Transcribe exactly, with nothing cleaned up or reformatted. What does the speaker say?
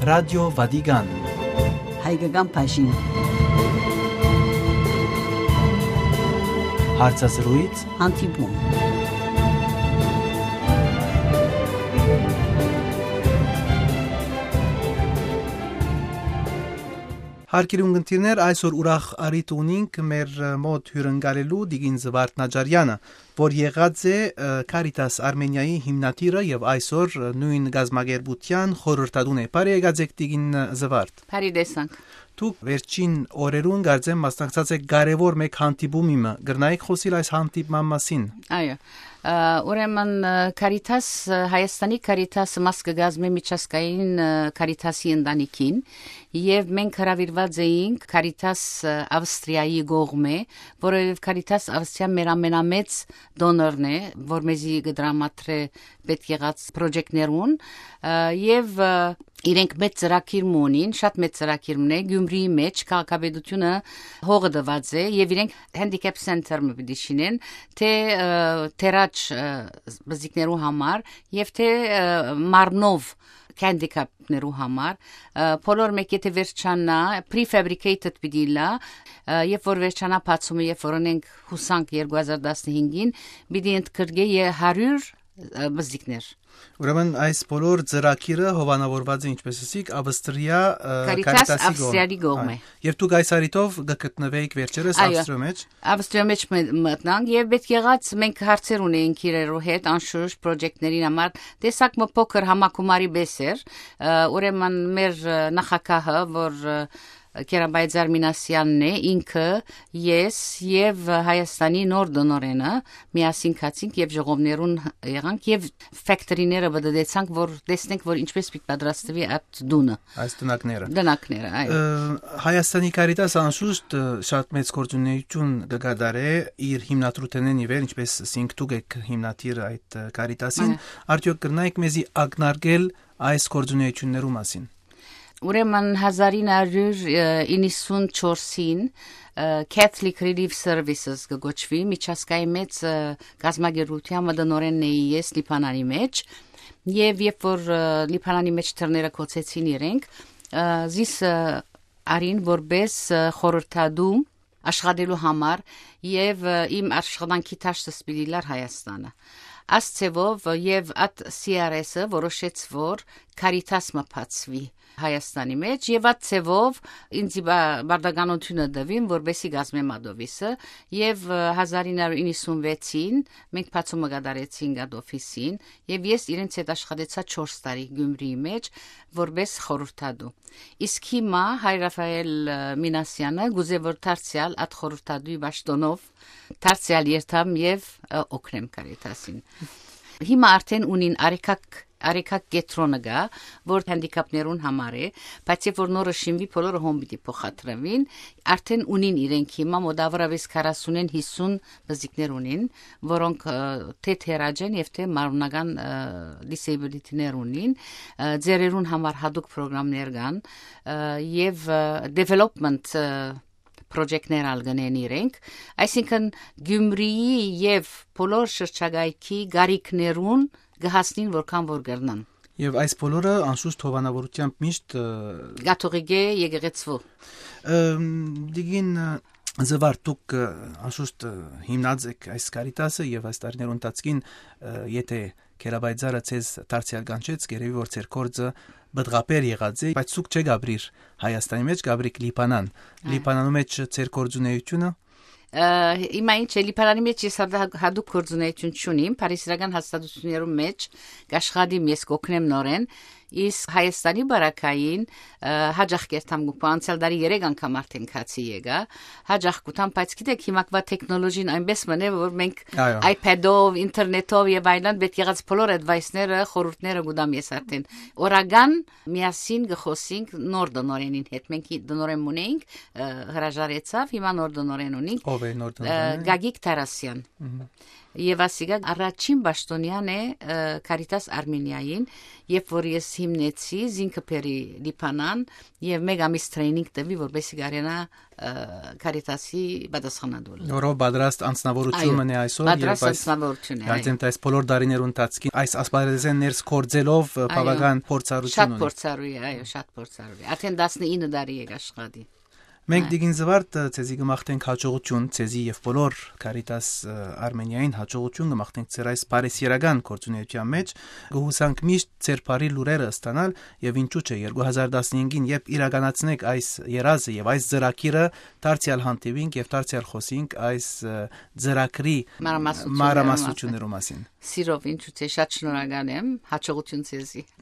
Ռադիո Վատիկան։ Հայկական բաժին։ Հարցազրույց։ Հանդիպում։ Հարգելի ունգընտիրներ, այսօր ուրախ առիթ ունինք մեր մոտ հիւրընկալելու Տիկին Զվարթ Նաճարեանը, որ եղած է, ը, Caritas Armenia-ի հիմնադիրը եւ այսօր, ը, նոյն կազմակերպութեան խորհրդատուն է։ Բարի եկած եք, Տիկին, ը, Զվարթ։ Բարի տեսանք։ Դուք վերջին օրերուն, կարծեմ, մասնակցած եք կարեւոր մէկ հանդիպումի մը։ Կրնայ՞ք խօսիլ այս հանդիպման մասին։ Այո։ Ա, ուրեմն, ը, Caritas, ը, Հայաստանի Caritas-ը մաս կը կազմէ միջազգային, ը, Caritas-ի ընտանիքին, եւ մենք հրաւիրուած էինք Caritas, ը, Ավստրիայի կողմէ, որովհետեւ Caritas Ավստրիա մեր ամենամեծ դոնորն է, որ մեզի կը դրամատրէ պետք եղած պրոյեկտներուն, ը, եւ, ը, իրենք մեծ ծրագիր մը ունին, շատ մեծ ծրագիր մը է, Գյումրիի մէջ քաղաքապետութիւնը հողը տուած է եւ իրենք handicap center մը պիտի շինեն, թէ, ը, թերաճ, ը, բզիկներու համար եւ թէ, ը, մարմնով handicap-ներու համար, ը, բոլոր մէկ եթե վերջանայ, prefabricated պիտի լա, ը, երբ որ վերջանայ բացումը, երբ որ ունենք հուսանք երկու հազար տասնհինգին, պիտի ընդգրկէ ե-, հարիւր, ը, բզիկներ։ Ուրեմն այս բոլոր ծրագիրը հովանավորված է, ինչպես ասիք, Ավստրիա, ը, Caritas Caritas-ի կողմ-, Ավստրիայի կողմէ։ Այո։ Եւ դուք այս առիթով կը գտնուէիք վերջերս Այո։ Ավստրիոյ մէջ։ Ավստրիոյ մէջ մը-, մտնանք եւ պետք եղած մենք հարցեր ունեինք իրերու հետ, անշուշտ պրոյեկտներին համար, տեսակ մը փոքր համագումարի բես էր, ը, ուրեմն մեր, ը, նախագահը, որ, ը, Կերապայծար Մինասեանն է, ինքը, ես եւ Հայաստանի նոր տնօրէնը միասին գացինք եւ ժողովներուն եղանք եւ factory-ները բդդեցանք, որ տեսնենք, որ ինչպես պիտի պատրաստուի այդ տունը։ Այս տնակները։ Տնակները, այո։ Ը, Հայաստանի Caritas անշուշտ, ը, շատ մեծ գործունեություն կը կատարէ իր հիմնադրութենէն ի վեր, ինչպես ասինք, դուք եք հիմնադիրը այդ, ը, Caritas-ին։ Այո։ Արդեօք կրնայ՞ք մեզի ակնարկել այս գործունեություններու մասին։ Ուրեմն հազար ինը հարիւր իննսունչորսին, ը, Catholic Relief Services կը կոչուի, միջազգային մեծ, ը, կազմակերպութեան մը տնօրէնն էի ես Լիբանանի մէջ, եւ երբ որ, ը, Լիբանանի մէջ դռները գոցեցին իրենք, ը, զիս, ը, արին որպէս, ը, խորհրդատու աշխատելու համար եւ, ը, իմ աշխատանքի դաշտս պիտի լար Հայաստանը։ Աս ձեւով, ը, եւ այդ C R S-ը որոշեց, որ Caritas մը բացուի Հայաստանի մէջ եւ այդ ձեւով ինձի բա-, բարդականությունը տուին, որպեսի կազմեմ այդ օֆիսը եւ, ը, հազար ինը հարիւր իննսունվեցին մենք բացումը կատարեցինք այդ օֆիսին եւ ես իրենց հետ աշխատեցայ չորս տարի Գյումրիի մէջ որպէս խորհրդատու։ Իսկ հիմա հայր Ռաֆայել, ը, Մինասեանը կուզէ, որ դարձեալ այդ խորհրդատուի պաշտօնով դարձեալ երթամ եւ, ը, օգնեմ Caritas-ին։ Հիմա արդեն ունին արեգակ, արեգակ կեդրոնը կայ, որ հանդիկապներուն համար է, բայց երբ որ նորը շինուի, բոլորը հոն պիտի փոխադրուին, արդեն ունին իրենք հիմա մոտավորապես քառասունէն հիսուն բզիկներ ունին, որոնք, ը, թէ թերաճ են եւ թէ մարմնական, ը, disability-ներ ունին, ը, ծերերուն համար հատուկ պրոգրամներ կան, ը, եւ, ը, development, ը, պրոյեկտներ ալ կ'ընեն իրենք, այսինքն Գյումրիի եւ բոլոր շրջակայքի գարիքներուն կը հասնին որքան որ կրնան։ Եւ այս բոլորը անշուշտ հովանավորությամբ միշտ, ը, կաթողիկէ եկեղեցու։ Ըմ, Տիկին, ը, Զվարթ, դուք, ը, անշուշտ, ը, հիմնած եք այս Caritas-ը եւ այս տարիներու ընթացքին, ը, եթե Գերապայծառը ձեզ դարձեալ կանչեց, կ'երեւի որ ձեր գործը պտղաբեր եղած է, բայց դուք չեք ապրիր Հայաստանի մէջ, կ'ապրիք Լիբանան։ Այո։ Լիբանանու մէջ ձեր գործունեությունը։ Ը, հիմա ինչ է, Լիբանանի մէջ ես հատա-, հատուկ գործունեություն չունիմ, փարիսիրական հաստատություններու մէջ կ'աշխատիմ, ես կ'օգնեմ նորէն, իսկ Հայաստանի բարակային, ը, յաճախ կերթամ գուպա, անցյալ տարի երեք անգամ արդեն գացի եկայ, յաճախ կ'ուտամ, բայց գիտեք, հիմակվա տեխնոլոգին այնպես մնե, որ մենք Այո։ iPad-ով, ինտերնետով եւ այլն պետք եղած բոլոր advice-ները, խորհուրդները կ'ուտամ ես արդեն։ Օրական միասին կը խօսինք նոր տնօրէնին հետ, մենք հի-, տնօրէն ունեինք, ը, հրաժարեցաւ, հիմա նոր տնօրէն ունինք, Ո՞վ է նոր ը, տնօրէնը։ Գագիկ Թարասեան։ Մհմ։ Եվ ասիկա առաջին պաշտոնեան է Caritas Armenia-ին, երբ որ ես հիմնեցի, զինքը բերի Լիբանան, և մեկ ամիս training տվի, որպեսզի կարենա Caritas-ի պատասխանատու։ Որով պատրաստ անձնավորություն մնե այսօր, պատրաստ անձնավորություն է։ Կարծեմ, այս բոլոր դարիներու ընթացքին այս ասպարեզեն ներս գործելով բավական փորձառություն շատ ունի։ Փորձառու է, այո, շատ փորձառու է։ Արդեն տասնինը տարի է աշխատի։ Մենք, Տիկին Զվարթ, ձեզի կմաղթենք հաջողություն, ձեզի և բոլոր Caritas Armenia-ին հաջողություն կմաղթենք ձեր այս բարեսիրական գործունեության մեջ։ Կհուսանք միշտ ձեր բարի լուրերը ստանալ, և ինչու՞ չէ, երկու հազար տասնհինգին, երբ իրականացնեք այս երազը և այս ծրագիրը, դարձյալ հանդիպինք և դարձյալ խոսինք այս ծրագրի մանրամասնություններու մասին։ Սիրով, ինչու՞ չէ, շատ շնորհակալ եմ, հաջողություն ձեզի։